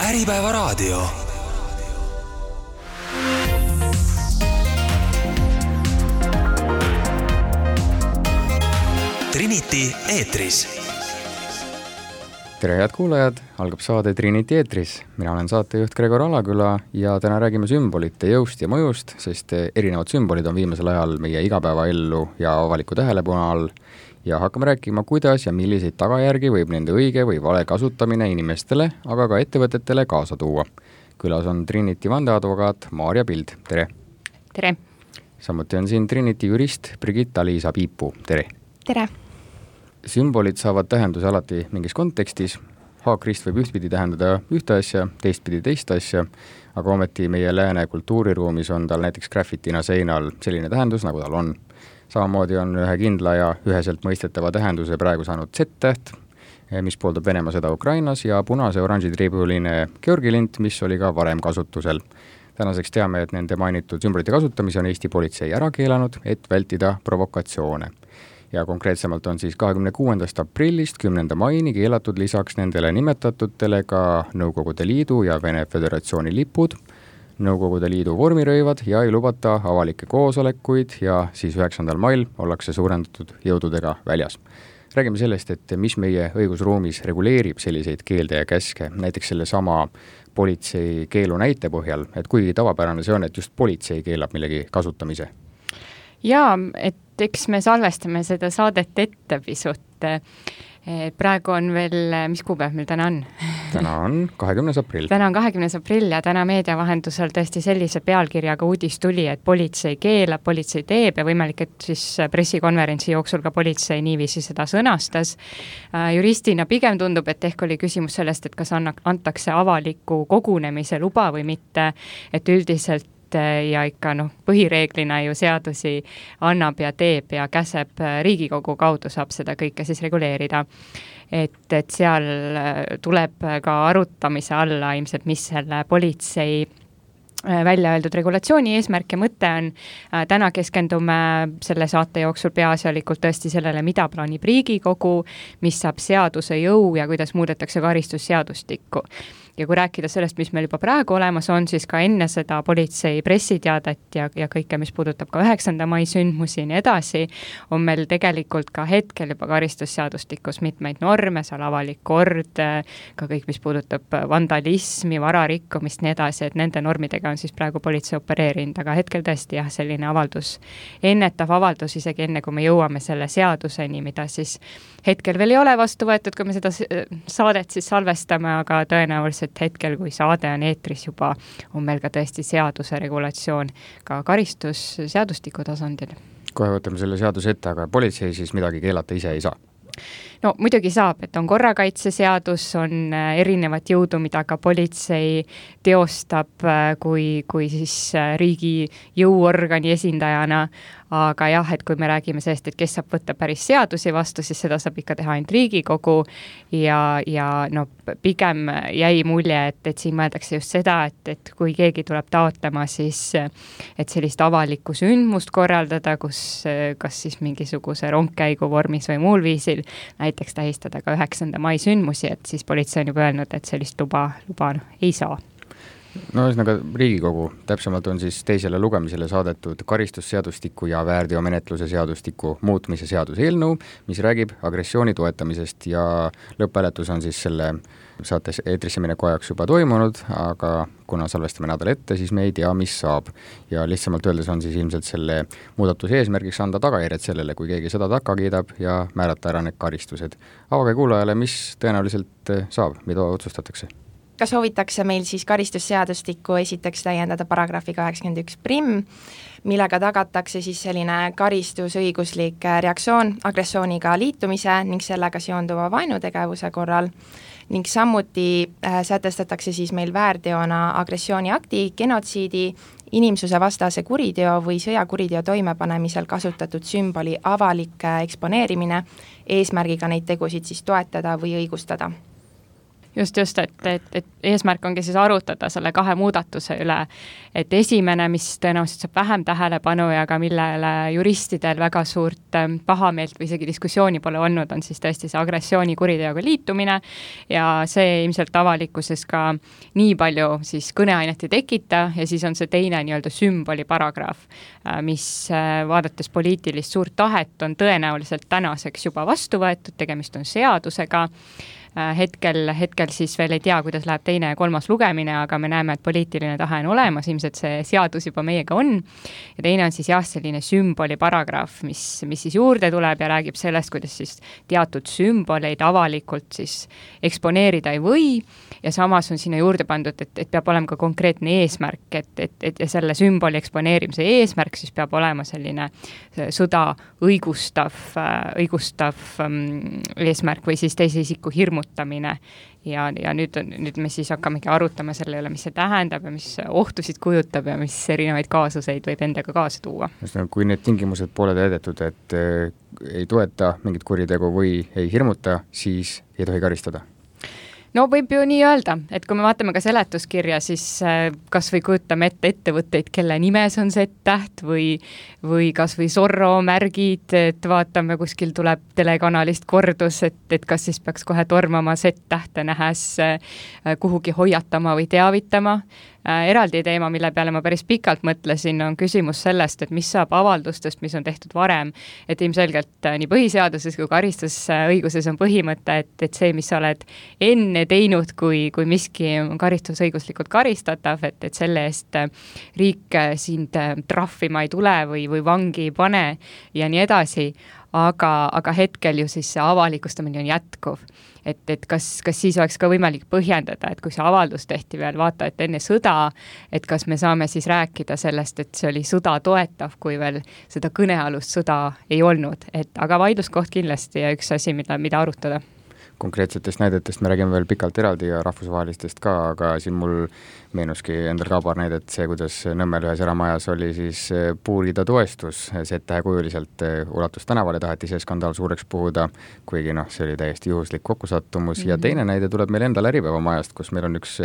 Äripäevaraadio. Trinity eetris. Tere head kuulajad, algab saade Trinity eetris. Mina olen saatejuht Gregor Alaküla ja täna räägime sümbolite jõust ja mõjust, sest erinevad sümbolid on viimasel ajal meie igapäevaellu ja avaliku tähelepanu all ja hakkame rääkima, kuidas ja milliseid tagajärgi võib nende õige või vale kasutamine inimestele, aga ka ettevõtetele kaasa tuua. Külas on Trinity vandeadvokaat Maarja Pild. Tere! Tere! Samuti on siin Trinity jurist Brigitta-Liisa Piipu. Tere! Tere! Sümbolid saavad tähenduse alati mingis kontekstis. Haakrist võib ühtpidi tähendada ühte asja, teistpidi teist asja, aga ometi meie lääne kultuuriruumis on tal näiteks graffitina seinal selline tähendus, nagu tal on. Samamoodi on ühe kindla ja üheselt mõistetava tähenduse praegu saanud Z-täht, mis pooldab Venemaa sõda Ukrainas, ja punase-oranži triibuline Georgi-lint, mis oli ka varem kasutusel. Tänaseks teame, et nende mainitud sümbolite kasutamise on Eesti politsei ära keelanud, et vältida provokatsioone. Ja konkreetsemalt on siis 26. aprillist 10. maini keelatud lisaks nendele nimetatutele ka Nõukogude Liidu ja Vene Föderatsiooni lipud, Nõukogude Liidu vormirõivad ja ei lubata avalikke koosolekuid ja siis 9. mail ollakse suurendatud jõududega väljas. Räägime sellest, et mis meie õigusruumis reguleerib selliseid keelde ja käske, näiteks selle sama politsei keelu näite põhjal, et kui tavapärane see on, et just politsei keelab millegi kasutamise. Jaa, et eks me salvestame seda saadet ette pisut. Praegu on veel, mis kuupäev meil täna on? Täna on 20. aprill. Täna on 20. aprill ja täna meedia vahendusel tõesti sellise pealkirjaga uudis tuli, et politsei keelab, politsei teeb ja võimalik, et siis pressikonverentsi jooksul ka politsei niiviisi seda sõnastas. Juristina pigem tundub, et ehk oli küsimus sellest, et kas antakse avaliku kogunemise luba või mitte, et üldiselt ja ikka põhireeglina ju seadusi annab ja teeb ja käseb Riigikogu kaudu saab seda kõike siis reguleerida. Et seal tuleb ka arutamise alla ilmselt, mis selle politsei välja öeldud regulatsiooni eesmärk ja mõte on. Täna keskendume selle saate jooksul peaasjalikult tõesti sellele, mida plaanib Riigikogu, mis saab seaduse jõu ja kuidas muudetakse karistusseadustikku. Ja kui rääkida sellest, mis meil juba praegu olemas on, siis ka enne seda politsei pressiteadet ja kõike, mis puudutab ka 9. mai sündmusi ja nii edasi, on meil tegelikult ka hetkel juba karistusseadustikus mitmeid norme, seal avalik kord, ka kõik, mis puudutab vandalismi, vararikkumist, nii edasi, et nende normidega on siis praegu politsei opereerinud, aga hetkel tõesti jah, selline avaldus, ennetav avaldus isegi enne, kui me jõuame selle seaduseni, mida siis hetkel veel ei ole vastu võetud, kui me seda saadet siis salvestame, aga tõenäoliselt hetkel, kui saade on eetris juba, on meil ka tõesti seaduse regulatsioon ka karistusseadustiku tasandil. Kohe võtame selle seaduse ette, aga politsei siis midagi keelata ise ei saa? No muidugi saab, et on korrakaitseseadus, on erinevat jõudu, mida ka politsei teostab kui siis riigi jõuorgani esindajana, aga jah, et kui me räägime sellest, et kes saab võtta päris seadusi vastu, siis seda saab ikka teha ainult Riigikogu ja pigem jäi mulje, et siin mõeldakse just seda, et kui keegi tuleb taotlema, siis et sellist avalikku sündmust korraldada, kus kas siis mingisuguse rongkäigu vormis või muul viisil näiteks tähistada ka 9. mai sündmusi, et siis politsei on juba öelnud, et sellist luba ei saa. No ühesõnaga Riigikogu, täpsemalt on siis teisele lugemisele saadetud karistusseadustiku ja väärteomenetluse seadustiku muutmise seaduse eelnõu, mis räägib agressiooni toetamisest ja lõpphääletus on siis selle saates eetrisse mineku ajaks juba toimunud, aga kuna salvestame nädal ette, siis me ei tea, mis saab. Ja lihtsamalt öeldes on siis ilmselt selle muudatuse eesmärgiks anda tagajärjed sellele, kui keegi seda takka kiidab ja määrata ära need karistused. Avage kuulajale, mis tõenäoliselt saab, mida otsustatakse? Ka soovitakse meil siis karistusseadustikku esiteks täiendada paragrahviga 91 millega tagatakse siis selline karistusõiguslik reaktsioon agressiooniga liitumise ning sellega seonduva vaenutegevuse korral ning samuti sätestatakse siis meil väärteona agressiooniakti, genotsiidi, inimsuse vastase kuriteo või sõjakuriteo toimepanemisel kasutatud sümboli avalik eksponeerimine eesmärgiga neid tegusid siis toetada või õigustada. just, et eesmärk ongi siis arutada selle 2 muudatuse üle, et esimene, mis tõenäoliselt saab vähem tähelepanu ja ka millele juristidel väga suurt pahameelt või isegi diskussiooni pole olnud, on siis tõesti see agressioonikuriteoga liitumine ja see ilmselt avalikkuses ka nii palju siis kõneainet ei tekita ja siis on see teine nii-öelda sümboli paragrahv, mis vaadates poliitilist suurt tahet on tõenäoliselt tänaseks juba vastu võetud, tegemist on seadusega. Hetkel siis veel ei tea, kuidas läheb teine ja 3. lugemine, aga me näeme, et poliitiline tahe on olemas, ilmselt see seadus juba meiega on. Ja teine on siis selline sümboli paragrahv, mis siis juurde tuleb ja räägib sellest, kuidas siis teatud sümboleid avalikult siis eksponeerida ei või ja samas on sinna juurde pandud, et peab olema ka konkreetne eesmärk, et selle sümboli eksponeerimise eesmärk siis peab olema selline sõda õigustav eesmärk või siis teise isiku hirmutamine ja nüüd me siis hakkamegi arutama selle üle, mis see tähendab ja mis ohtusid kujutab ja mis erinevaid kaasuseid võib endaga kaasa tuua. Kui need tingimused pole täidetud, et ei toeta mingit kuritegu või ei hirmuta, siis ei tohi karistada? No võib ju nii öelda, et kui me vaatame ka seletuskirja, siis kas või kujutame ette ettevõtteid, kelle nimes on Z-täht või kas või Zorro märgid, et vaatame, kuskil tuleb telekanalist kordus, et kas siis peaks kohe tormama Z-tähte nähes kuhugi hoiatama või teavitama. Eraldi teema, mille peale ma päris pikalt mõtlesin, on küsimus sellest, et mis saab avaldustest, mis on tehtud varem, et ilmselgelt nii põhiseaduses kui karistusõiguses on põhimõte, et see, mis sa oled enne teinud, kui miski on karistusõiguslikult karistatav, et selle eest riik sind trahvima ei tule või vangi ei pane ja nii edasi, aga hetkel ju siis see avalikustamine on jätkuv. Et kas siis oleks ka võimalik põhjendada, et kui see avaldus tehti veel vaata, et enne sõda, et kas me saame siis rääkida sellest, et see oli sõda toetav, kui veel seda kõnealust sõda ei olnud, aga vaidluskoht kindlasti ja üks asi, mida arutada. Konkreetsetest näidetest me räägime veel pikalt eraldi ja rahvusvahelistest ka, aga siin mul meenuski endal ka paar näidet see, kuidas Nõmmel ühes eramajas oli siis puurida toestus, Z-tähe kujuliselt ulatus tänavale, taheti see skandaal suureks puhuda, kuigi see oli täiesti juhuslik kokkusattumus ja teine näide tuleb meil endal Äripäeva majast, kus meil on üks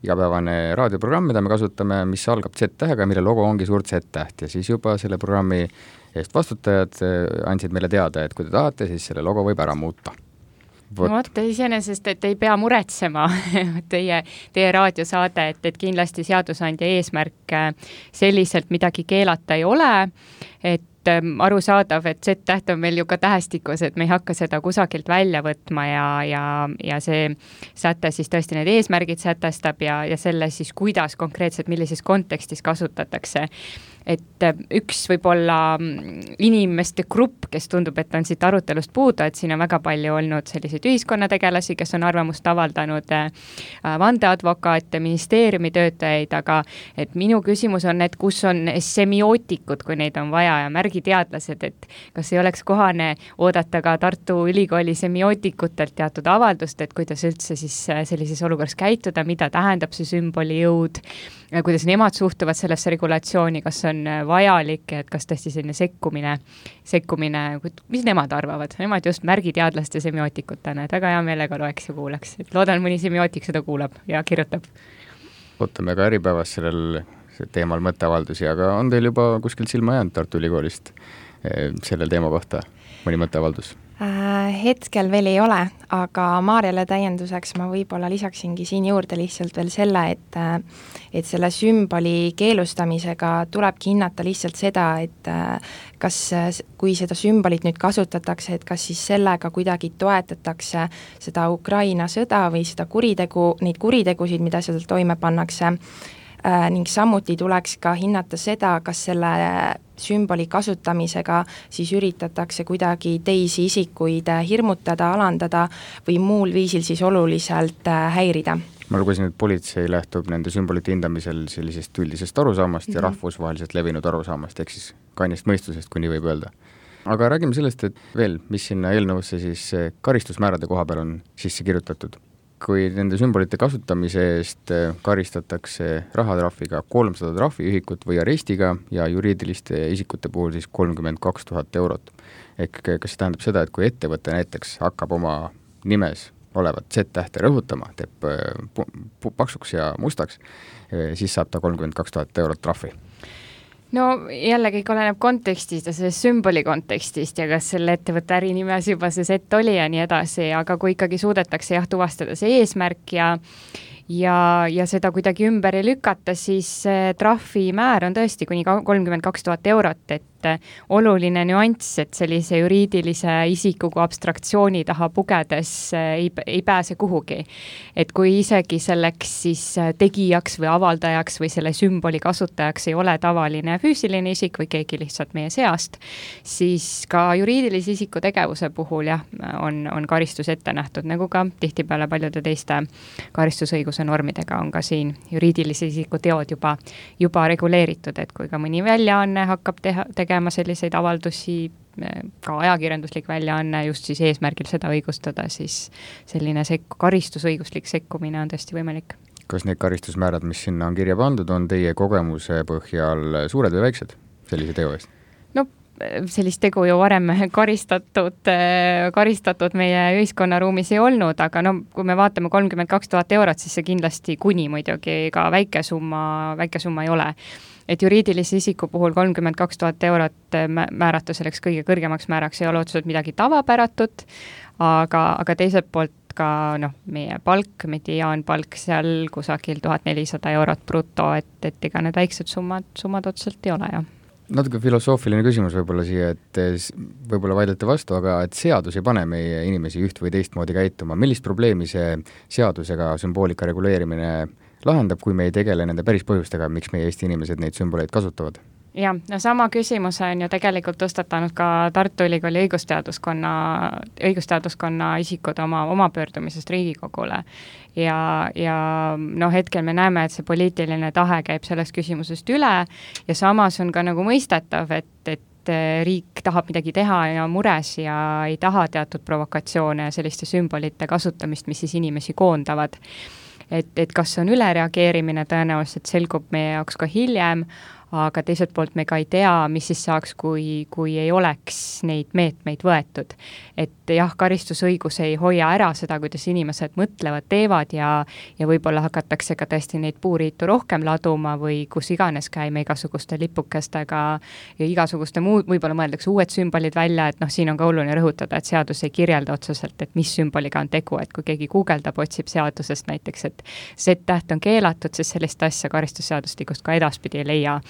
igapäevane raadioprogramm, mida me kasutame, mis algab Z-tähega, mille logo ongi suurt Z-täht ja siis juba selle programmi eest vastutajad andsid meile teada, et kui te tahate, siis selle logo võib ära muuta. No vot, iseenesest, et ei pea muretsema teie raadiosaade, et kindlasti seadusandja eesmärk selliselt midagi keelata ei ole, et arusaadav, et Z-täht on meil ju ka tähestikus, et me ei hakka seda kusagilt välja võtma ja see säte siis tõesti need eesmärgid sätestab ja selle siis kuidas konkreetselt, millises kontekstis kasutatakse. Et üks võib-olla inimeste grupp, kes tundub, et on siit arutelust puudu, et siin on väga palju olnud selliseid ühiskonnategelasi, kes on arvamust avaldanud, vandeadvokaate, ministeeriumi töötajaid, aga et minu küsimus on, et kus on semiootikud, kui neid on vaja ja märgiteadlased, et kas ei oleks kohane oodata ka Tartu Ülikooli semiootikutelt teatud avaldust, et kuidas üldse siis sellises olukorras käituda, mida tähendab see sümboli jõud, kuidas nemad suhtuvad sellesse regulatsiooni, kas on vajalik, et kas tõesti selline sekkumine, mis nemad arvavad? Nemad just märgiteadlaste semiootikutena, et väga hea meelega loeks ja kuuleks. Et loodan, mõni semiootik seda kuulab ja kirjutab. Ootame ka Äripäevas sellel teemal mõtteavaldusi, aga on teil juba kuskilt silma jäänud Tartu Ülikoolist sellel teema kohta mõni mõtteavaldus? Hetkel veel ei ole, aga Maarjale täienduseks ma võib-olla lisaksingi siin juurde lihtsalt veel selle, et selle sümboli keelustamisega tulebki hinnata lihtsalt seda, et kas, kui seda sümbolit nüüd kasutatakse, et kas siis sellega kuidagi toetatakse seda Ukraina sõda või seda neid kuritegusid, mida seal toime pannakse, ning samuti tuleks ka hinnata seda, kas selle sümboli kasutamisega siis üritatakse kuidagi teisi isikuid hirmutada, alandada või muul viisil siis oluliselt häirida. Ma lugesin, et politsei lähtub nende sümbolite hindamisel sellisest üldisest arusaamast ja rahvusvaheliselt levinud arusaamast, ehk siis kainest mõistusest, kui nii võib öelda. Aga räägime sellest, et veel, mis sinna eelnõusse siis karistusmäärade koha peal on sisse kirjutatud. Kui nende sümbolite kasutamise eest karistatakse rahatrahviga 300 trahviühikut või arestiga ja juriidiliste isikute puhul siis 32 000 eurot. Ehk kas see tähendab seda, et kui ettevõte näiteks hakkab oma nimes olevat Z-tähte rõhutama, teeb paksuks ja mustaks, siis saab ta 32 000 eurot trahvi. No jälle kõik oleneb kontekstist ja sellest sümboli kontekstist ja kas selle ettevõtte ärinimes juba see Z oli ja nii edasi, aga kui ikkagi suudetakse tuvastada see eesmärk ja seda kuidagi ümber ei lükata, siis trahvimäär on tõesti kuni 32 000 eurot, et oluline nüanss, et sellise juriidilise isiku kui abstraktsiooni taha pugedes ei pääse kuhugi. Et kui isegi selleks siis tegijaks või avaldajaks või selle sümboli kasutajaks ei ole tavaline füüsiline isik või keegi lihtsalt meie seast, siis ka juriidilise isiku tegevuse puhul on karistus ette nähtud, nagu ka tihtipeale paljude teiste karistusõiguse normidega on ka siin juriidilise isiku teod juba reguleeritud, et kui ka mõni väljaanne hakkab tegema selliseid avaldusi, ka ajakirjanduslik väljaanne just siis eesmärgil seda õigustada, siis selline karistusõiguslik sekkumine on tõesti võimalik. Kas need karistusmäärad, mis sinna on kirja pandud, on teie kogemuse põhjal suured või väiksed sellise teo eest? No sellist tegu ju varem karistatud meie ühiskonnaruumis ei olnud, aga kui me vaatame 32 000 eurot, siis see kindlasti kuni muidugi ka väike summa ei ole. Et juriidilise isiku puhul 32 000 eurot määrata selleks kõige kõrgemaks määraks ei ole otseselt midagi tavapäratut, aga teiselt poolt ka meie palk, mediaanpalk seal kusagil 1400 eurot bruto, et ega need väiksed summad otseselt ei ole, jah. Natuke filosoofiline küsimus võib-olla siia, et võib-olla vaidlete vastu, aga et seadus ei pane meie inimesi üht või teistmoodi käituma. Millist probleemi see seadusega sümboolika reguleerimine lahendab, kui me ei tegele nende päris põhjustega, miks meie Eesti inimesed neid sümboleid kasutavad? Jah, sama küsimuse on ju tegelikult tõstatanud ka Tartu Ülikooli õigusteaduskonna isikud oma pöördumisest Riigikogule. Ja hetkel me näeme, et see poliitiline tahe käib sellest küsimusest üle ja samas on ka nagu mõistetav, et riik tahab midagi teha ja mures ja ei taha teatud provokatsioone ja selliste sümbolite kasutamist, mis siis inimesi koondavad. Et kas on ülereageerimine, tõenäoliselt selgub meie jaoks ka hiljem, aga teiselt poolt me ka ei tea, mis siis saaks, kui ei oleks neid meetmeid võetud. Et jah, karistusõigus ei hoia ära seda, kuidas inimesed mõtlevad, teevad ja võib-olla hakatakse ka tõesti neid puuriitu rohkem laduma või kus iganes käime igasuguste lipukestega ja igasuguste muud, võib-olla mõeldakse uued sümbolid välja, et siin on ka oluline rõhutada, et seadus ei kirjelda otseselt, et mis sümboliga on tegu, et kui keegi guugeldab, otsib seadusest näiteks, et Z-täht on keelatud, siis sellist asja karistusseadustikust ka edaspidi ei leia.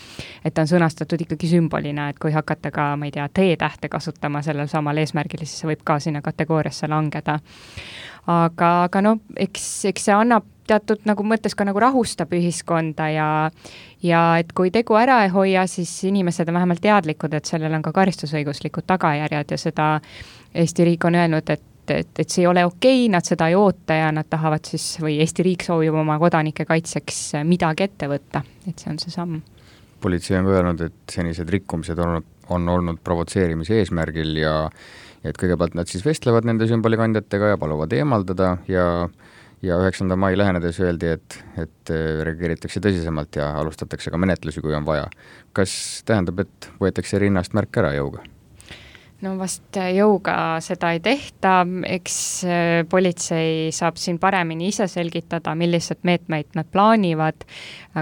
Et on sõnastatud ikkagi sümbolina, et kui hakata ka, ma ei tea, T-tähte kasutama sellel samal eesmärgil, siis see võib ka sinna kategooriasse langeda. Aga eks see annab teatud mõttes ka rahustab ühiskonda ja et kui tegu ära ei hoia, siis inimesed on vähemalt teadlikud, et sellel on ka karistusõiguslikud tagajärjed ja seda Eesti riik on öelnud, et see ei ole okei, nad seda ei oota ja nad tahavad siis, või Eesti riik soovib oma kodanike kaitseks midagi ette võtta, et see on see samm. Politsei on öelnud, et senised rikkumised on olnud provotseerimise eesmärgil ja et kõigepealt nad siis vestlevad nende sümbolikandjatega ja paluvad eemaldada ja 9. mai lähenedes öeldi, et reageeritakse tõsisemalt ja alustatakse ka menetlusi, kui on vaja. Kas tähendab, et võetakse rinnast märk ära jõuga? Vast jõuga seda ei tehta, eks politsei saab siin paremini ise selgitada, millised meetmeid nad plaanivad.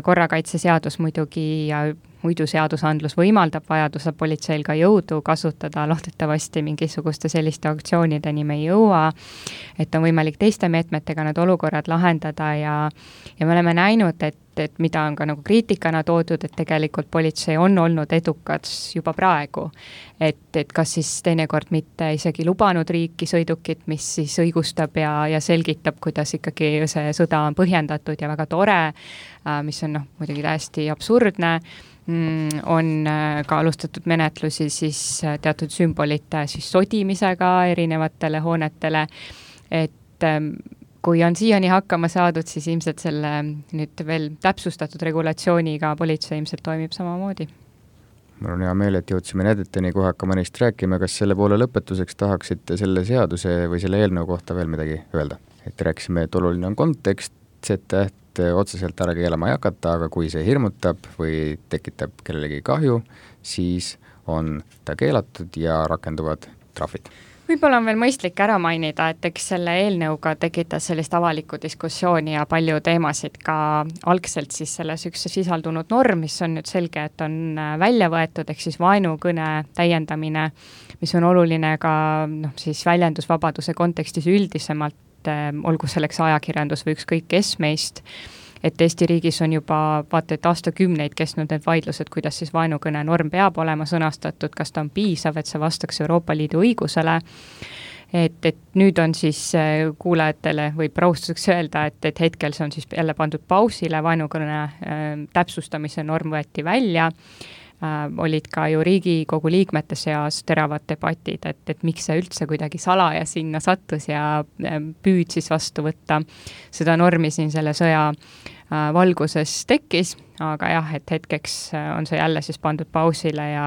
Korrakaitseseadus muidugi ja muidu seadusandlus võimaldab vajaduse politseil ka jõudu kasutada, loodetavasti mingisuguste selliste aktsioonideni me ei jõua, et on võimalik teiste meetmetega need olukorrad lahendada ja me oleme näinud, et mida on ka kriitikana toodud, et tegelikult politsei on olnud edukad juba praegu, et kas siis teinekord mitte isegi lubanud riiki sõidukit, mis siis õigustab ja selgitab, kuidas ikkagi see sõda on põhjendatud ja väga tore, mis on muidugi täiesti absurdne, on ka alustatud menetlusi siis teatud sümbolite siis sodimisega erinevatele hoonetele, et kui on siiani hakkama saadud, siis ilmselt selle nüüd veel täpsustatud regulatsiooniga politsei ilmselt toimib samamoodi. Mul on hea meel, et jõudsime nädeteni, kui hakkame neist rääkima, kas selle poole lõpetuseks tahaksite selle seaduse või selle eelnõu kohta veel midagi öelda? Et rääkisime, et oluline on kontekst, Z-täht otseselt ära keelama ei hakata, aga kui see hirmutab või tekitab kellelegi kahju, siis on ta keelatud ja rakenduvad trahvid. Võib-olla on veel mõistlik ära mainida, et eks selle eelnõuga tekitas sellist avalikku diskussiooni ja palju teemasid ka algselt siis selles üks sisaldunud norm, mis on nüüd selge, et on välja võetud, ehk siis vaenukõne täiendamine, mis on oluline ka siis väljendusvabaduse kontekstis üldisemalt, olgu selleks ajakirjandus või ükskõik kes meist, et Eesti riigis on juba vaata, et aastakümneid kestnud need vaidlused, kuidas siis vaenukõne norm peab olema sõnastatud, kas ta on piisav, et see vastaks Euroopa Liidu õigusele, et nüüd on siis kuulajatele või rahustuseks öelda, et hetkel see on siis jälle pandud pausile, vaenukõne täpsustamise norm võeti välja, olid ka ju Riigikogu liikmete seas teravad debatid, et miks see üldse kuidagi salaja sinna sattus ja püüd siis vastu võtta seda normi siin selle sõja valguses tekkis, aga jah, et hetkeks on see jälle siis pandud pausile ja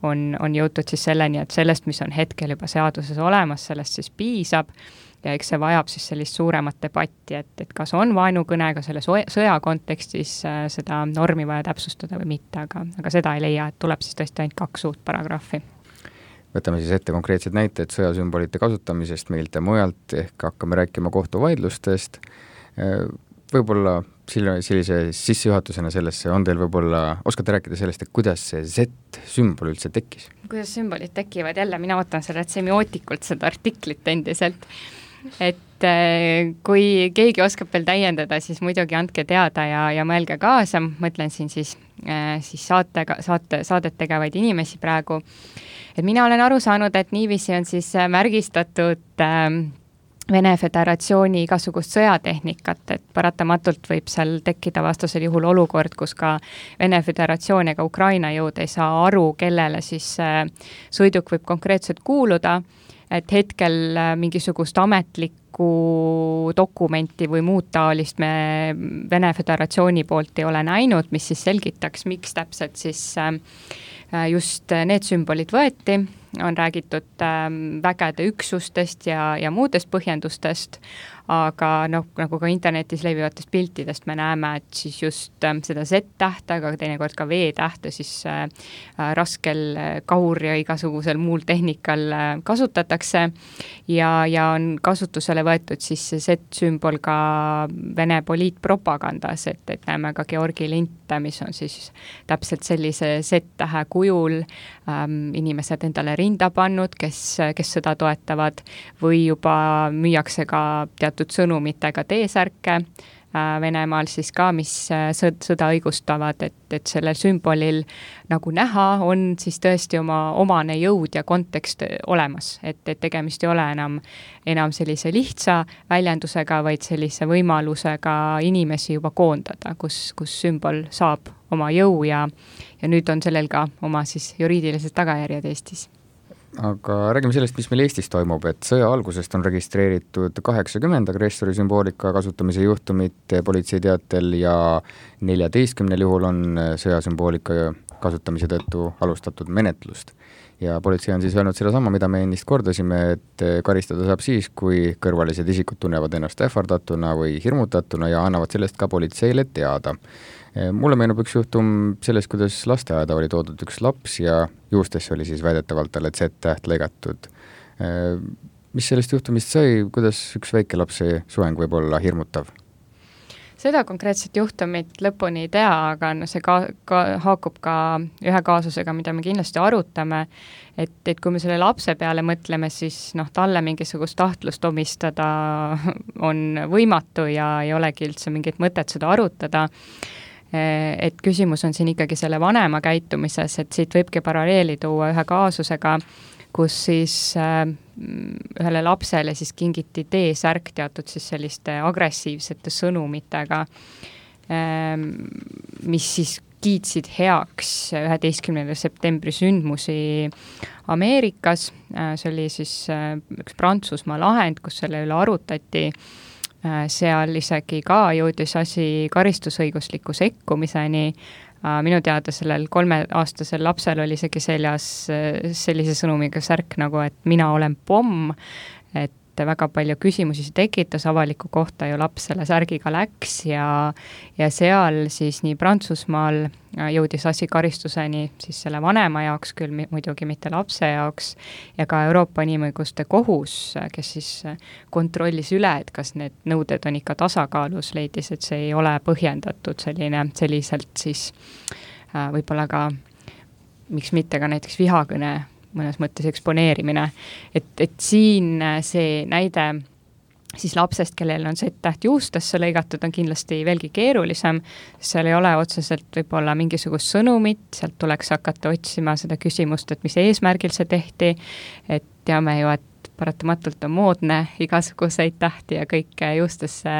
on jõutud siis selleni, et sellest, mis on hetkel juba seaduses olemas, sellest siis piisab ja eks see vajab siis sellist suuremat debatti, et kas on vaenukõnega selle sõja kontekstis seda normi vaja täpsustada või mitte, aga seda ei leia, et tuleb siis tõesti ainult 2 uut paragrahvi. Võtame siis ette konkreetsed näited sõjasümbolite kasutamisest meilt ja mujalt, ehk hakkame rääkima kohtuvaidlustest. Võib-olla sellise sissejuhatusena sellesse on teil võib-olla, oskate rääkida sellest, et kuidas see Z-sümbol üldse tekkis? Kuidas sümbolid tekivad, jälle mina võtan sellelt semiootikult seda artiklit endiselt, et kui keegi oskab veel täiendada, siis muidugi andke teada ja mõelge kaasa, mõtlen siin siis saadet tegevaid inimesi praegu, et mina olen aru saanud, et niiviisi on siis märgistatud Vene Föderatsiooni igasugust sõjatehnikat, et paratamatult võib seal tekkida vastasel juhul olukord, kus ka Vene Föderatsioon ega Ukraina jõud ei saa aru, kellele siis sõiduk võib konkreetselt kuuluda, et hetkel mingisugust ametlikku dokumenti või muud taolist me Vene Föderatsiooni poolt ei ole näinud, mis siis selgitaks, miks täpselt siis just need sümbolid võeti, on räägitud vägede üksustest ja muudest põhjendustest, aga nagu ka internetis levivatest piltidest me näeme, et siis just seda Z-tähte, aga teinekord ka V-tähte siis raskel kahur ja igasugusel muul tehnikal kasutatakse ja on kasutusele võetud siis see Z-sümbol ka Vene poliitpropagandas, et näeme ka Georgi linte, mis on siis täpselt sellise Z-tähe kujul inimesed endale rinda pannud, kes seda toetavad või juba müüakse ka teatud sõnumitega T-särke Venemaal siis ka, mis sõda õigustavad, et sellel sümbolil nagu näha on siis tõesti omane jõud ja kontekst olemas, et tegemist ei ole enam sellise lihtsa väljendusega, vaid sellise võimalusega inimesi juba koondada, kus sümbol saab oma jõu ja nüüd on sellel ka oma siis juriidilised tagajärjed Eestis. Aga räägime sellest, mis meil Eestis toimub, et sõja algusest on registreeritud 80 agressori sümboolika kasutamise juhtumit politsei teatel ja 14 juhul on sõjasümboolika kasutamise tõttu alustatud menetlust. Ja politsei on siis öelnud sedasama, mida me ennist kordasime, et karistada saab siis, kui kõrvalised isikud tunnevad ennast ähvardatuna või hirmutatuna ja annavad sellest ka politseile teada. Mulle meenub üks juhtum sellest, kuidas lasteaeda oli toodud üks laps ja juustesse oli siis väidetavalt talle Z-täht lõigatud. Mis sellest juhtumist sai, kuidas üks väike lapse soeng võib olla hirmutav? Seda konkreetset juhtumit lõpuni ei tea, aga see haakub ka ühe kaasusega, mida me kindlasti arutame, et kui me selle lapse peale mõtleme, siis talle mingisugust tahtlust omistada on võimatu ja ei olegi üldse mingit mõtet seda arutada. Et küsimus on siin ikkagi selle vanema käitumises, et siit võibki paralleeli tuua ühe kaasusega, kus siis ühele lapsele siis kingiti T-särk teatud siis selliste agressiivsete sõnumitega, mis siis kiitsid heaks 11. septembri sündmusi Ameerikas. See oli siis üks Prantsusmaa lahend, kus selle üle arutati. Seal isegi ka jõudis asi karistusõigusliku sekkumiseni. Minu teada sellel 3-aastasel lapsel oli isegi seljas sellise sõnumiga särk nagu, et mina olen pomm, et väga palju küsimusi see tekitas, avaliku kohta ju laps selle särgiga läks ja seal siis nii Prantsusmaal jõudis asi karistuseni siis selle vanema jaoks, küll muidugi mitte lapse jaoks, ja ka Euroopa Inimõiguste Kohus, kes siis kontrollis üle, et kas need nõuded on ikka tasakaalus, leidis, et see ei ole põhjendatud selliselt siis võib-olla ka, miks mitte ka näiteks vihakõne mõnes mõttes eksponeerimine. Et siin see näide siis lapsest, kellel on Z-täht juustesse lõigatud, on kindlasti veelgi keerulisem, seal ei ole otseselt võib-olla mingisugust sõnumit, sealt tuleks hakata otsima seda küsimust, et mis eesmärgil see tehti, et teame ju, et paratamatult on moodne igasuguseid tähti ja kõike juustesse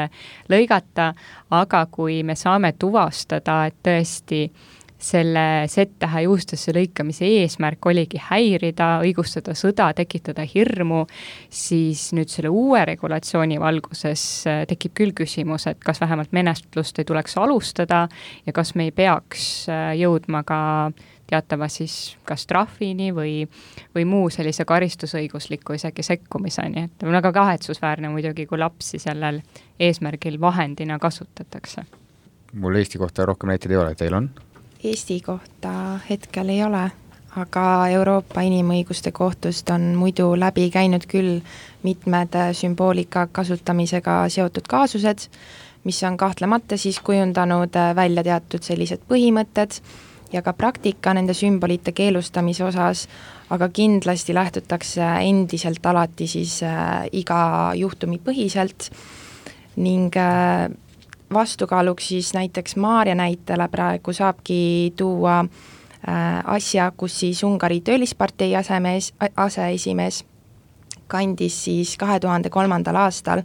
lõigata, aga kui me saame tuvastada, et tõesti selle Z-tähe juustesse lõikamise eesmärk oligi häirida, õigustada sõda, tekitada hirmu, siis nüüd selle uue regulatsiooni valguses tekib küll küsimus, et kas vähemalt menetlust ei tuleks alustada ja kas me ei peaks jõudma ka teatava siis kas trahvini või muu sellise karistusõigusliku isegi sekkumiseni. Et on väga kahetsusväärne muidugi, kui lapsi sellel eesmärgil vahendina kasutatakse. Mul Eesti kohta rohkem näiteid ei ole, teil on? Eesti kohta hetkel ei ole, aga Euroopa Inimõiguste Kohtust on muidu läbi käinud küll mitmed sümboolika kasutamisega seotud kaasused, mis on kahtlemata siis kujundanud välja teatud sellised põhimõtted ja ka praktika nende sümbolite keelustamise osas, aga kindlasti lähtutakse endiselt alati siis iga juhtumi põhiselt ning vastukaaluks siis näiteks Maarja näitele praegu saabki tuua asja, kus siis Ungari töölispartei aseesimees kandis siis 2003. aastal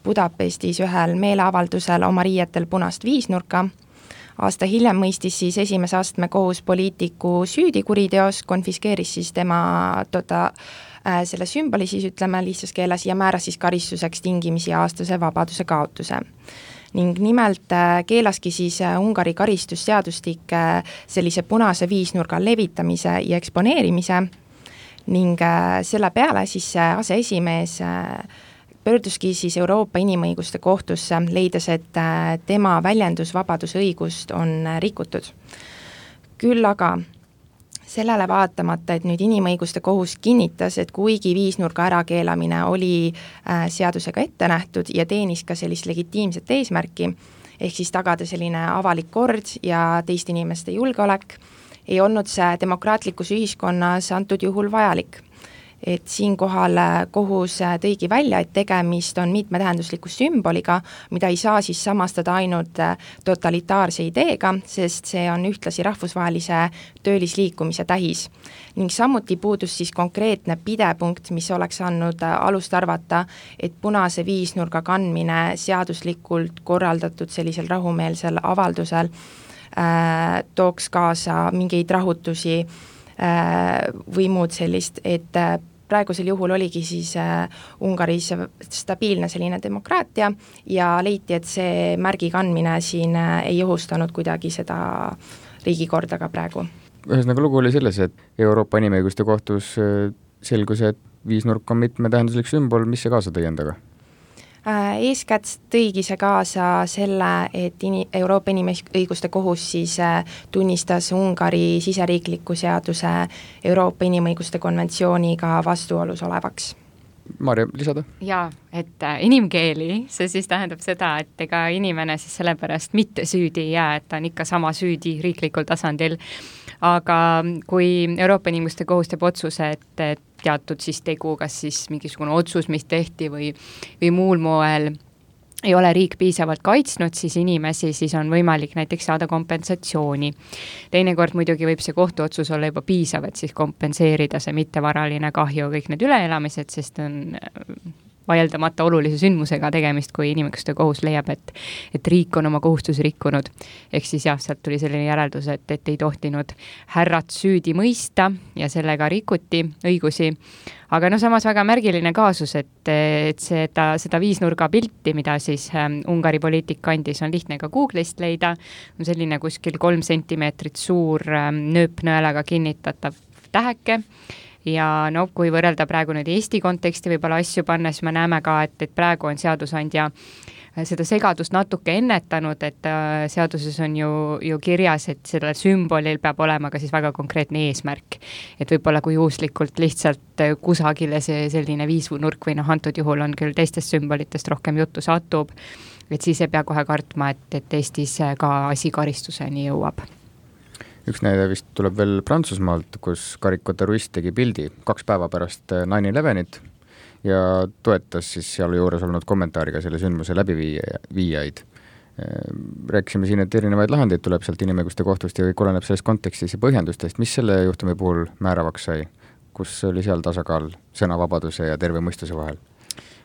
Budapestis ühel meeleavaldusel oma riietel punast viisnurka. Aasta hiljem mõistis siis esimese astme kohus poliitiku süüdi kuriteos, konfiskeeris siis tema selle sümboli siis ütleme lihtsas keeles ja määras siis karistuseks tingimisi aastase vabaduse kaotuse. Ning nimelt keelaski siis Ungari karistusseadustik sellise punase viisnurga levitamise ja eksponeerimise ning selle peale siis aseesimees pöörduski siis Euroopa Inimõiguste Kohtusse, leides, et tema väljendusvabaduse õigust on rikutud. Küll aga sellele vaatamata, et nüüd Inimõiguste Kohus kinnitas, et kuigi viisnurga ärakeelamine oli seadusega ette nähtud ja teenis ka sellist legitiimset eesmärki, ehk siis tagada selline avalik kord ja teiste inimeste julgeolek, ei olnud see demokraatlikus ühiskonnas antud juhul vajalik. Et siinkohal kohus tõigi välja, et tegemist on mitmetähendusliku sümboliga, mida ei saa siis samastada ainult totalitaarse ideega, sest see on ühtlasi rahvusvahelise töölisliikumise tähis. Ning samuti puudus siis konkreetne pidepunkt, mis oleks andnud alust arvata, et punase viisnurga kandmine seaduslikult korraldatud sellisel rahumeelsel avaldusel tooks kaasa mingeid rahutusi või muud sellist, et praegusel juhul oligi siis Ungaris stabiilne selline demokraatia ja leiti, et see märgi kandmine siin ei ohustanud kuidagi seda riigikorda ka praegu. Ühesõnaga lugu oli selles, et Euroopa Inimõiguste Kohtus selgus, et viisnurk on mitmetähenduslik sümbol, mis see kaasa tõi endaga? Eeskätt tõigi see kaasa selle, et Euroopa Inimõiguste Kohus siis tunnistas Ungari siseriikliku seaduse Euroopa Inimõiguste konventsiooniga vastuolus olevaks. Maarja, lisada? Jaa, et inimkeeli, see siis tähendab seda, et ega inimene siis sellepärast mitte süüdi ei jää, et ta on ikka sama süüdi riiklikul tasandil, aga kui Euroopa Inimõiguste Kohus teeb otsuse, et teatud siis tegu, kas siis mingisugune otsus, mis tehti või muul moel ei ole riik piisavalt kaitsnud, siis inimesi siis on võimalik näiteks saada kompensatsiooni. Teinekord muidugi võib see kohtuotsus olla juba piisav, et siis kompenseerida see mittevaraline kahju, kõik need üleelamised, sest on vaieldamata olulise sündmusega tegemist, kui Inimõiguste Kohus leiab, et riik on oma kohustusi rikkunud. Ehk siis jah, sealt tuli selline järeldus, et ei tohtinud härrat süüdi mõista ja sellega rikuti õigusi. Aga samas väga märgiline kaasus, et seda viisnurga pilti, mida siis Ungari poliitik kandis, on lihtne ka Google'ist leida, on selline kuskil 3 sentimeetrit suur nööpnõelaga kinnitatav täheke, ja no kui võrrelda praegu nüüd Eesti konteksti võib-olla asju panna, siis me näeme ka, et praegu on seadusandja seda segadust natuke ennetanud, et seaduses on ju kirjas, et sellel sümbolil peab olema ka siis väga konkreetne eesmärk. Et võib-olla kui juhuslikult lihtsalt kusagile see selline viisnurk või antud juhul on küll teistest sümbolitest rohkem juttu satub, et siis ei pea kohe kartma, et Eestis ka asi karistuseni jõuab. Üks näide vist tuleb veel Prantsusmaalt, kus karikaturist tegi pildi 2 päeva pärast 9/11 ja toetas siis seal juures olnud kommentaariga selle sündmuse läbiviijaid. Rääkisime siin, et erinevaid lahendeid tuleb sealt inimõiguste kohtust ja kõik oleneb sellest kontekstis ja põhjendustest. Mis selle juhtumi puhul määravaks sai? Kus oli seal tasakaal sõnavabaduse ja terve mõistuse vahel?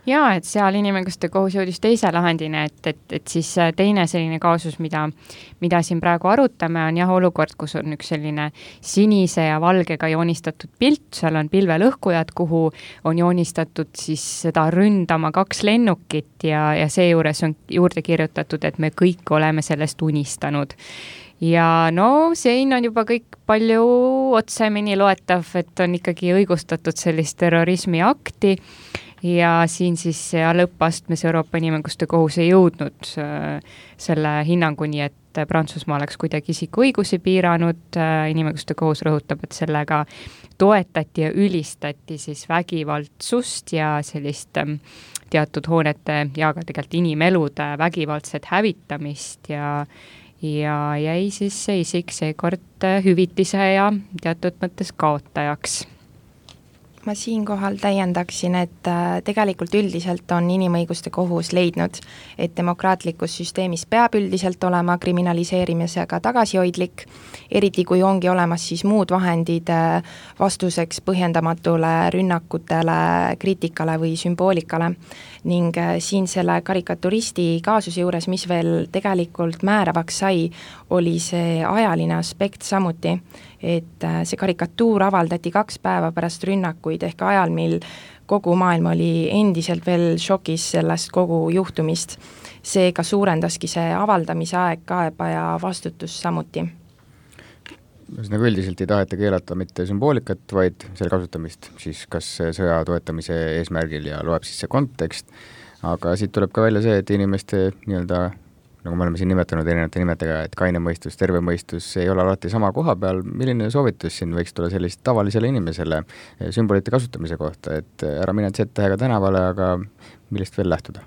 Jaa, et seal inimõiguste kohus jõudis teise lahendine, et siis teine selline kaasus, mida siin praegu arutame, on olukord, kus on üks selline sinise ja valgega joonistatud pilt, seal on pilvelõhkujad, kuhu on joonistatud siis seda ründama 2 lennukit ja seejuures on juurde kirjutatud, et me kõik oleme sellest unistanud. Ja no siin on juba kõik palju otsemini loetav, et on ikkagi õigustatud sellist terrorismi akti, ja siin siis lõppastmes Euroopa Inimõiguste kohus ei jõudnud selle hinnanguni, et Prantsusmaa oleks kuidagi isiku õigusi piiranud. Inimõiguste kohus rõhutab, et sellega toetati ja ülistati siis vägivaldsust ja sellist teatud hoonete ja ka tegelikult inimelude vägivaldset hävitamist ja jäi siis see isik seekord hüvitise ja teatud mõttes kaotajaks. Ma siinkohal täiendaksin, et tegelikult üldiselt on inimõiguste kohus leidnud, et demokraatlikus süsteemis peab üldiselt olema kriminaliseerimisega tagasihoidlik, eriti kui ongi olemas siis muud vahendid vastuseks põhjendamatule rünnakutele, kriitikale või sümboolikale. Ning siin selle karikaturisti kaasuse juures, mis veel tegelikult määravaks sai, oli see ajaline aspekt samuti, et see karikatuur avaldati 2 päeva pärast rünnakuid ehk ajal, mil kogu maailm oli endiselt veel šokis sellest kogu juhtumist. Seega suurendaski see avaldamise aeg kaebaja vastutus samuti. Nagu üldiselt ei taheta keelata mitte sümboolikat, vaid selle kasutamist siis kas sõja toetamise eesmärgil ja loeb siis see kontekst, aga siit tuleb ka välja see, et inimeste nii-öelda, nagu me oleme siin nimetanud erinevate nimetega, et kaine mõistus, terve mõistus ei ole alati sama koha peal. Milline soovitus siin võiks tulla sellist tavalisele inimesele sümbolite kasutamise kohta, et ära mine Z-tähega tänavale, aga millest veel lähtuda?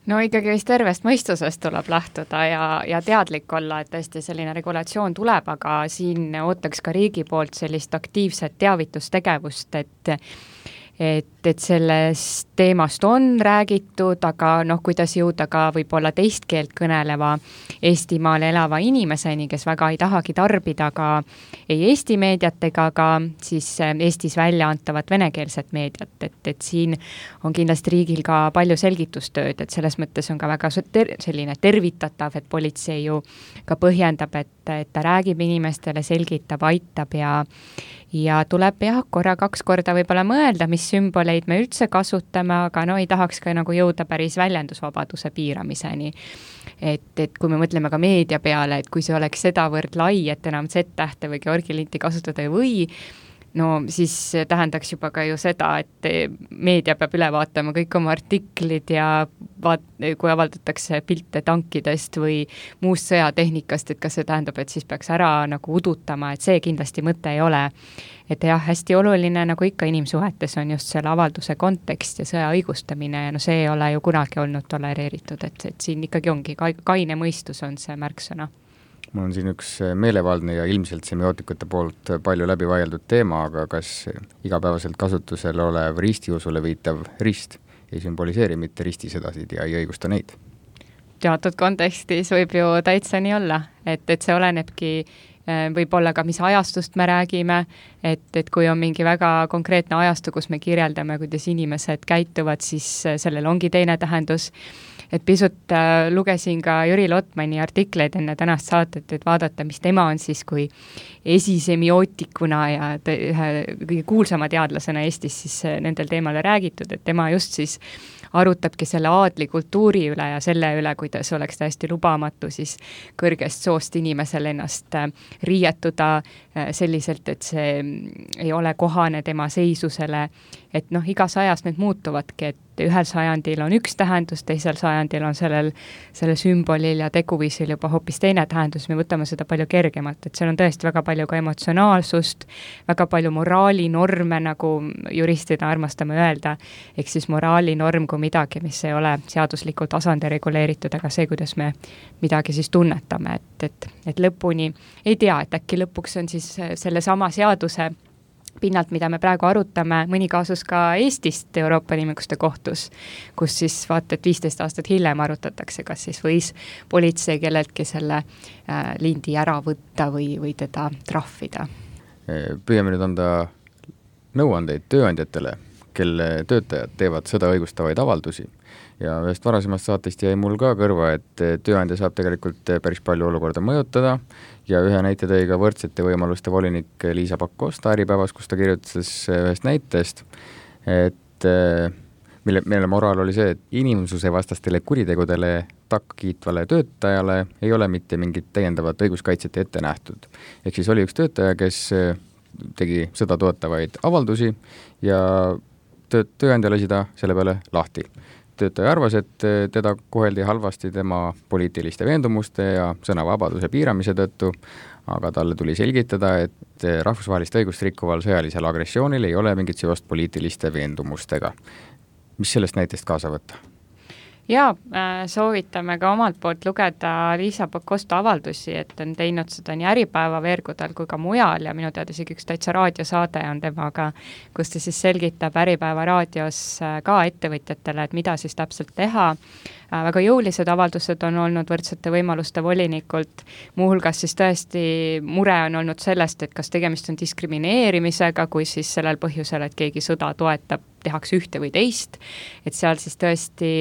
No ikkagi vist tervest mõistusest tuleb lähtuda ja teadlik olla, et tõesti selline regulatsioon tuleb, aga siin ootaks ka riigi poolt sellist aktiivset teavitustegevust, et sellest teemast on räägitud, aga kuidas jõuda ka võib-olla teist keelt kõneleva Eestimaal elava inimeseni, kes väga ei tahagi tarbida ka ei Eesti meediat ega ka siis Eestis välja antavat venekeelset meediat, et siin on kindlasti riigil ka palju selgitustööd, et selles mõttes on ka väga selline tervitatav, et politsei ju ka põhjendab, et ta räägib inimestele, selgitab, aitab ja tuleb korra 2 korda võib-olla mõelda, mis sümboleid me üldse kasutame, aga ei tahaks ka nagu jõuda päris väljendusvabaduse piiramiseni. Et kui me mõtleme ka meedia peale, et kui see oleks sedavõrd lai, et enam Z-tähte või Georgi-linti kasutada ei või, no siis tähendaks juba ka ju seda, et meedia peab üle vaatama kõik oma artiklid ja kui avaldatakse pilte tankidest või muust sõjatehnikast, et kas see tähendab, et siis peaks ära nagu udutama, et see kindlasti mõte ei ole. Et jah, hästi oluline, nagu ikka inimsuhetes on just selle avalduse kontekst ja sõja õigustamine ja see ei ole ju kunagi olnud tolereeritud, et siin ikkagi ongi kaine mõistus on see märksõna. Mul on siin üks meelevaldne ja ilmselt semiootikute poolt palju läbi vaieldud teema, aga kas igapäevaselt kasutusel olev ristiusule viitav rist ei sümboliseeri mitte ristisõdasid ja ei õigusta neid? Teatud kontekstis võib ju täitsa nii olla, et see olenebki võib-olla ka, mis ajastust me räägime, et kui on mingi väga konkreetne ajastu, kus me kirjeldame, kuidas inimesed käituvad, siis sellel ongi teine tähendus. et pisut lugesin ka Jüri Lotmani artikleid enne tänast saadet, et vaadata, mis tema on siis kui esisemiotikuna ja ühe kõige kuulsama teadlasena Eestis siis nendel teemale räägitud, et tema just siis arutabki selle aadli kultuuri üle ja selle üle, kuidas oleks täiesti lubamatu siis kõrgest soost inimesel ennast riietuda selliselt, et see ei ole kohane tema seisusele, et igas ajas need muutuvadki, et ühel sajandil on üks tähendus, teisel sajandil on sellel sümbolil ja teguviisil juba hoopis teine tähendus, me võtame seda palju kergemalt, et seal on tõesti väga palju ka emotsionaalsust, väga palju moraalinorme, nagu juristid armastame öelda, ehk siis moraalinorm kui midagi, mis ei ole seaduslikul tasandil reguleeritud, aga see, kuidas me midagi siis tunnetame, et lõpuni ei tea, et äkki lõpuks on siis selle sama seaduse pinnalt, mida me praegu arutame, mõni kaasus ka Eestist Euroopa Inimõiguste Kohtus, kus siis vaata, et 15 aastat hiljem arutatakse, kas siis võis politsei kelleltki selle lindi ära võtta või teda trahvida. Püüame nüüd anda nõuandeid tööandjatele, kelle töötajad teevad seda õigustavaid avaldusi. Ja ühest varasemast saatest jäi mul ka kõrva, et tööandja saab tegelikult päris palju olukorda mõjutada ja ühe näite tõi ka võrdsete võimaluste volinik Liisa Pakosta Äripäevas, kus ta kirjutas ühest näitest, et mille moraal oli see, et inimsuse vastastele kuritegudele takkiitvale töötajale ei ole mitte mingit täiendavat õiguskaitset ette nähtud. Ehk siis oli üks töötaja, kes tegi seda toetavaid avaldusi ja tööandja lasi ta selle peale lahti. Töötaja arvas, et teda koheldi halvasti tema poliitiliste veendumuste ja sõnavabaduse piiramise tõttu, aga talle tuli selgitada, et rahvusvahelist õigust rikkuval sõjalisel agressioonil ei ole mingit seost poliitiliste veendumustega. Mis sellest näitest kaasa võtta? Jaa, soovitame ka omalt poolt lugeda Liisa Pakosta avaldusi, et on teinud seda nii Äripäeva veergudel kui ka mujal ja minu teada isegi üks täitsa raadiosaade on temaga, kus ta siis selgitab Äripäeva raadios ka ettevõtjatele, et mida siis täpselt teha. Väga jõulised avaldused on olnud võrdsete võimaluste volinikult, muuhulgas siis tõesti mure on olnud sellest, et kas tegemist on diskrimineerimisega, kui siis sellel põhjusel, et keegi sõda toetab, tehakse ühte või teist, et seal siis tõesti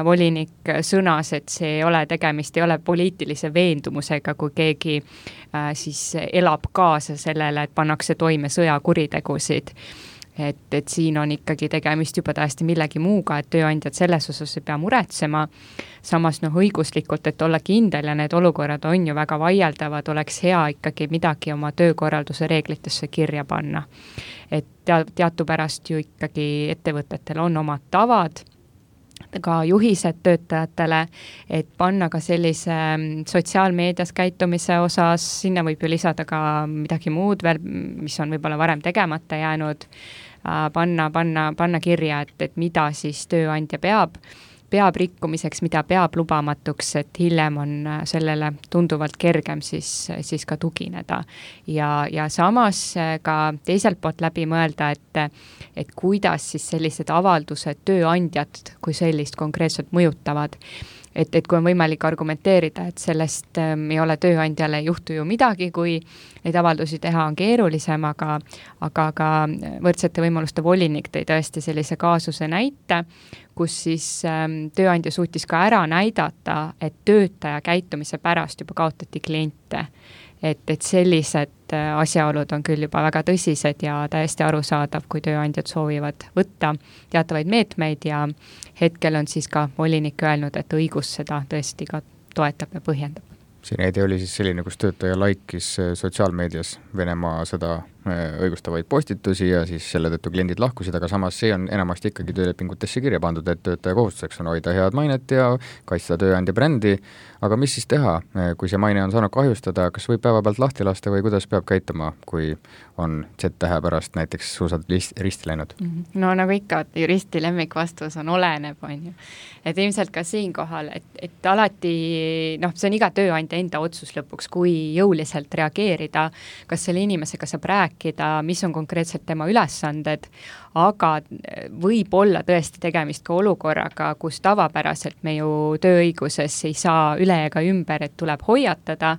volinik sõnas, et see ei ole poliitilise veendumusega, kui keegi siis elab kaasa sellele, et pannakse toime sõjakuritegusid. Et siin on ikkagi tegemist juba täiesti millegi muuga, et tööandjad selles osas ei pea muretsema, samas õiguslikult, et olla kindel ja need olukorrad on ju väga vaieldavad, oleks hea ikkagi midagi oma töökorralduse reeglitesse kirja panna. Et teatupärast ju ikkagi ettevõtetel on omad tavad, ka juhised töötajatele, et panna ka sellise sotsiaalmeedias käitumise osas, sinna võib ju lisada ka midagi muud veel, mis on võib-olla varem tegemata jäänud, panna kirja, et mida siis tööandja peab rikkumiseks, mida peab lubamatuks, et hiljem on sellele tunduvalt kergem siis ka tugineda. Ja samas ka teiselt poolt läbi mõelda, et kuidas siis sellised avaldused tööandjat kui sellist konkreetselt mõjutavad. Et kui on võimalik argumenteerida, et sellest ei ole tööandjale juhtu ju midagi, kui neid avaldusi teha on keerulisem, aga ka võrdsete võimaluste volinik tõi tõesti sellise kaasuse näite, kus siis tööandja suutis ka ära näidata, et töötaja käitumise pärast juba kaotati kliente. Et sellised asjaolud on küll juba väga tõsised ja täiesti arusaadav, kui tööandjad soovivad võtta teatavaid meetmeid ja hetkel on siis ka volinik öelnud, et õigus seda tõesti ka toetab ja põhjendab. See näide oli siis selline, kus töötaja laikis sotsiaalmeedias Venemaa seda õigustavaid postitusi ja siis selle tõttu kliendid lahkusid, aga samas see on enamasti ikkagi töölepingutesse kirja pandud, et töötaja kohustuseks on hoida head mainet ja kaitsta tööandja brändi, aga mis siis teha, kui see maine on saanud kahjustada, kas võib päevapealt lahti lasta või kuidas peab käituma, kui on Z-tähe pärast näiteks suusad risti läinud? No nagu ikka, juristi lemmikvastus on oleneb, on ju. Et ilmselt ka siinkohal, et alati, see on iga tööandja enda otsus lõpuks, kui jõuliselt reageerida, kas selle inimesega saab rääkida, mis on konkreetselt tema ülesanded, aga võib olla tõesti tegemist ka olukorraga, kus tavapäraselt me ju tööõiguses ei saa üle ega ümber, et tuleb hoiatada,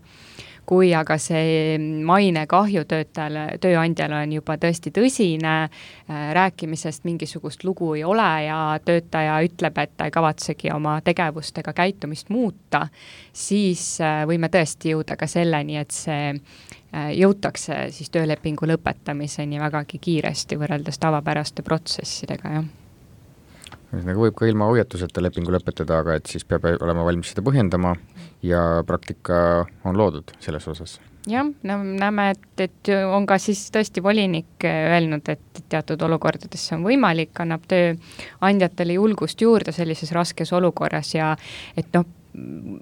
kui aga see mainekahju tööandjale on juba tõesti tõsine, rääkimisest mingisugust lugu ei ole ja töötaja ütleb, et ta ei kavatsegi oma tegevust ega käitumist muuta, siis võime tõesti jõuda ka selleni, et see jõutakse siis töölepingu lõpetamiseni vägagi kiiresti võrreldes tavapäraste protsessidega, jah. Nagu võib ka ilma hoiatuseta lepingu lõpetada, aga et siis peab olema valmis seda põhjendama ja praktika on loodud selles osas. Jah, näeme, et on ka siis tõesti volinik öelnud, et teatud olukordades see on võimalik, annab tööandjatele julgust juurde sellises raskes olukorras ja et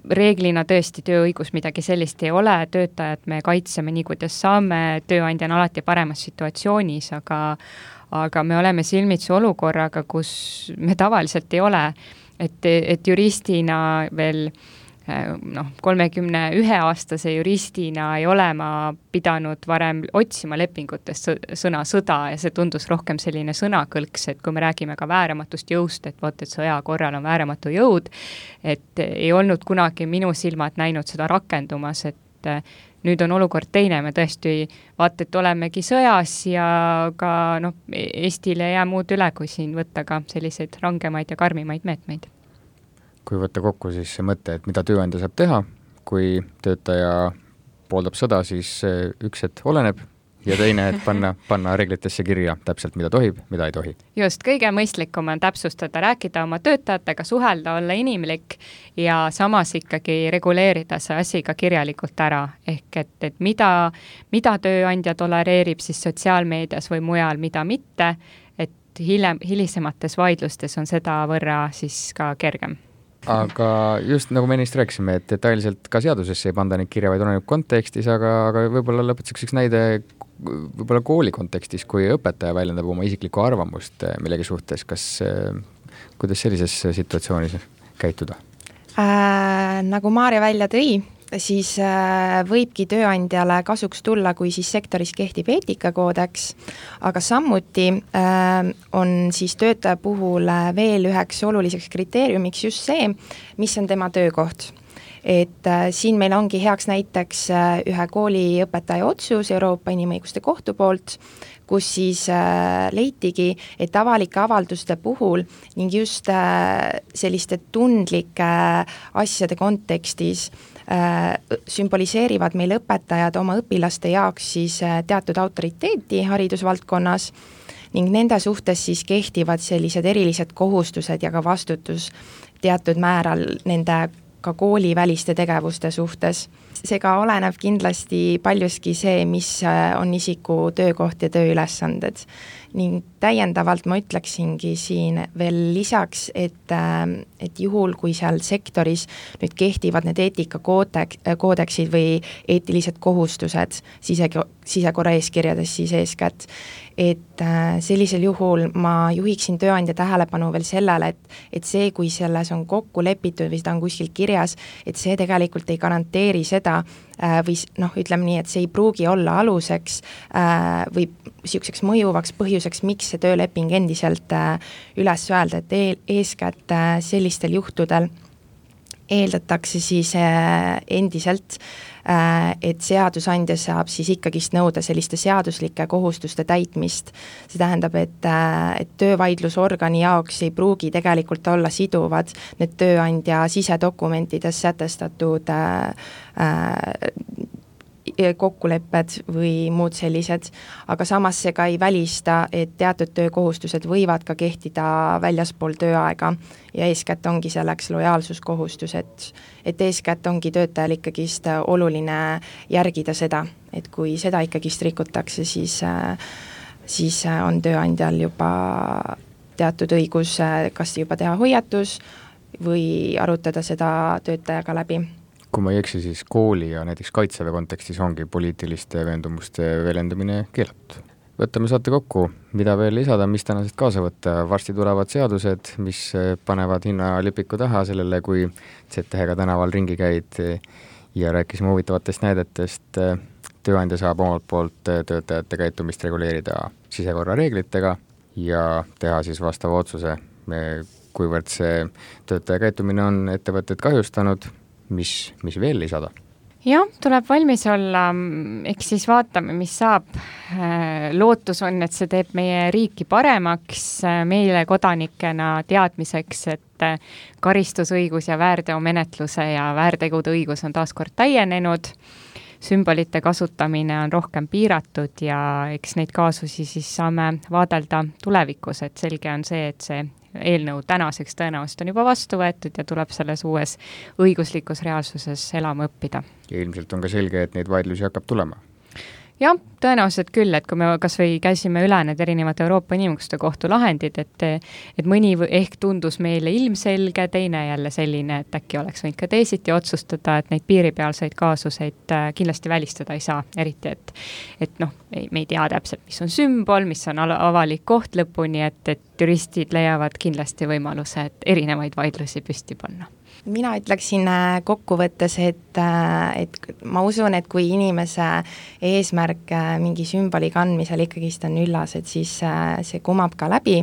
reeglina tõesti tööõigus midagi sellist ei ole, töötajad me kaitseme nii, kuidas saame, tööandja on alati paremas situatsioonis, aga me oleme silmitsi olukorraga, kus me tavaliselt ei ole, et juristina veel 31-aastase juristina ei ole ma pidanud varem otsima lepingutest sõna sõda ja see tundus rohkem selline sõnakõlks, et kui me räägime ka vääramatust jõust, et et sõja korral on vääramatu jõud, et ei olnud kunagi minu silmad näinud seda rakendumas, et nüüd on olukord teine, me tõesti vaata, et olemegi sõjas ja ka Eestil ei jää muud üle, kui siin võtta ka selliseid rangemaid ja karmimaid meetmeid. Kui võtta kokku siis see mõte, et mida tööandja saab teha, kui töötaja pooldab sõda, siis üks, et oleneb ja teine, et panna reeglitesse kirja täpselt, mida tohib, mida ei tohi. Just, kõige mõistlikum on täpsustada, rääkida oma töötajatega, suhelda, olla inimlik ja samas ikkagi reguleerida see asi ka kirjalikult ära. Ehk et mida tööandja tolereerib siis sotsiaalmeedias või mujal, mida mitte, et hilisemates vaidlustes on seda võrra siis ka kergem. Aga just nagu me ennist rääkisime, et detailselt ka seadusesse ei panda neid kirja, vaid oleneb kontekstis, aga võib-olla lõpetuseks üks näide võib-olla kooli kontekstis, kui õpetaja väljendab oma isiklikku arvamust millegi suhtes, kuidas sellises situatsioonis käituda? Nagu Maarja välja tõi, siis võibki tööandjale kasuks tulla, kui siis sektoris kehtib eetikakoodeks, aga samuti on siis töötaja puhul veel üheks oluliseks kriteeriumiks just see, mis on tema töökoht. Et siin meil ongi heaks näiteks ühe kooliõpetaja otsus Euroopa Inimõiguste Kohtu poolt, kus siis leitigi, et avalike avalduste puhul ning just selliste tundlike asjade kontekstis sümboliseerivad meil õpetajad oma õpilaste jaoks siis teatud autoriteeti haridusvaldkonnas ning nende suhtes siis kehtivad sellised erilised kohustused ja ka vastutus teatud määral nende ka kooliväliste tegevuste suhtes. Seega oleneb kindlasti paljuski see, mis on isiku töökoht ja tööülesanded. Ning täiendavalt ma ütleksingi siin veel lisaks, et juhul, kui seal sektoris nüüd kehtivad need eetikakoodeksid või eetilised kohustused sisekorra eeskirjades siis eeskätt, et sellisel juhul ma juhiksin tööandja tähelepanu veel sellele, et see, kui selles on kokku lepitud või seda on kuskil kirjas, et see tegelikult ei garanteeri seda, või ütleme nii, et see ei pruugi olla aluseks või niisuguseks mõjuvaks põhjuseks, miks see tööleping endiselt üles öelda, et eeskätt sellistel juhtudel eeldatakse siis endiselt, et seadusandja saab siis ikkagist nõuda selliste seaduslike kohustuste täitmist. See tähendab, et töövaidlusorgani jaoks ei pruugi tegelikult olla siduvad need tööandja sisedokumentides sätestatud kokkulepped või muud sellised, aga samas see ka ei välista, et teatud töökohustused võivad ka kehtida väljaspool tööaega ja eeskätt ongi selleks lojaalsuskohustus, et eeskätt ongi töötajal ikkagist oluline järgida seda, et kui seda ikkagist rikutakse, siis on tööandjal juba teatud õigus kas juba teha hoiatus või arutada seda töötajaga läbi. Kui ma ei eksi, siis kooli ja näiteks kaitseväe kontekstis ongi poliitiliste veendumuste väljendamine keelatud. Võtame saate kokku, mida veel lisada, mis tänasest kaasa võtta. Varsti tulevad seadused, mis panevad hinnalipiku taha sellele, kui ZTH-ga tänaval ringi käid ja rääkisime huvitavatest näidetest. Tööandja saab omalt poolt töötajate käitumist reguleerida sisekorra reeglitega ja teha siis vastava otsuse, kuivõrd see töötaja käitumine on ettevõtted kahjustanud. Mis veel lisada? jah, tuleb valmis olla, eks siis vaatame, mis saab. Lootus on, et see teeb meie riiki paremaks, meile kodanikena teadmiseks, et karistusõigus ja väärteomenetluse ja väärtegude õigus on taaskord täienenud, sümbolite kasutamine on rohkem piiratud ja eks neid kaasusi siis saame vaadelda tulevikus, et selge on see, et see eelnõu tänaseks tõenäoliselt on juba vastu võetud ja tuleb selles uues õiguslikus reaalsuses elama õppida. Ja ilmselt on ka selge, et neid vaidlusi hakkab tulema. Jah, tõenäoliselt küll, et kui me kas või käisime üle need erinevad Euroopa Inimõiguste Kohtu lahendid, et mõni ehk tundus meile ilmselge, teine jälle selline, et äkki oleks võinud ka teisiti otsustada, et neid piiripealseid kaasuseid kindlasti välistada ei saa, eriti, et me ei tea täpselt, mis on sümbol, mis on avalik koht lõpuni, et juristid leiavad kindlasti võimaluse, et erinevaid vaidlusi püsti panna. Mina ütleksin kokkuvõttes, et ma usun, et kui inimese eesmärk mingi sümboli kandmisel ikkagist on üllas, et siis see kumab ka läbi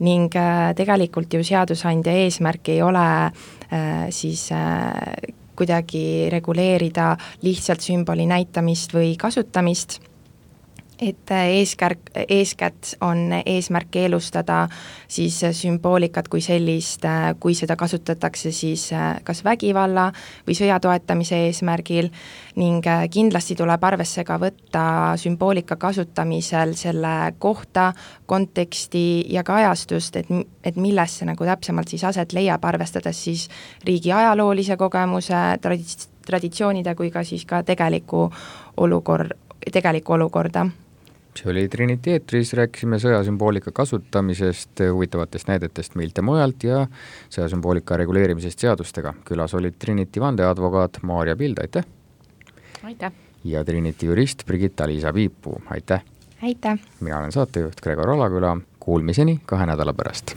ning tegelikult ju seadusandja eesmärk ei ole siis kuidagi reguleerida lihtsalt sümboli näitamist või kasutamist, et eeskätt on eesmärk keelustada siis sümboolikat kui sellist, kui seda kasutatakse siis kas vägivalla või sõja toetamise eesmärgil ning kindlasti tuleb arvesse ka võtta sümboolika kasutamisel selle kohta, konteksti ja ka ajastust, et milles see nagu täpsemalt siis aset leiab, arvestades siis riigi ajaloolise kogemuse, traditsioonide kui ka siis ka tegelikku olukorda. See oli Trinity eetris, rääkisime sõjasümboolika kasutamisest, huvitavatest näidetest meilt ja mujalt ja sõjasümboolika reguleerimisest seadustega. Külas olid Trinity vandeadvokaat Maarja Pild, aitäh! Aitäh! Ja Trinity jurist Brigitta-Liisa Piipuu, aitäh! Aitäh! Mina olen saatejuht Gregor Alaküla, kuulmiseni 2 nädala pärast.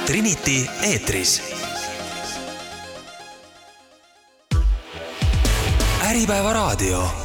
Trinity eetris. Äripäeva raadio.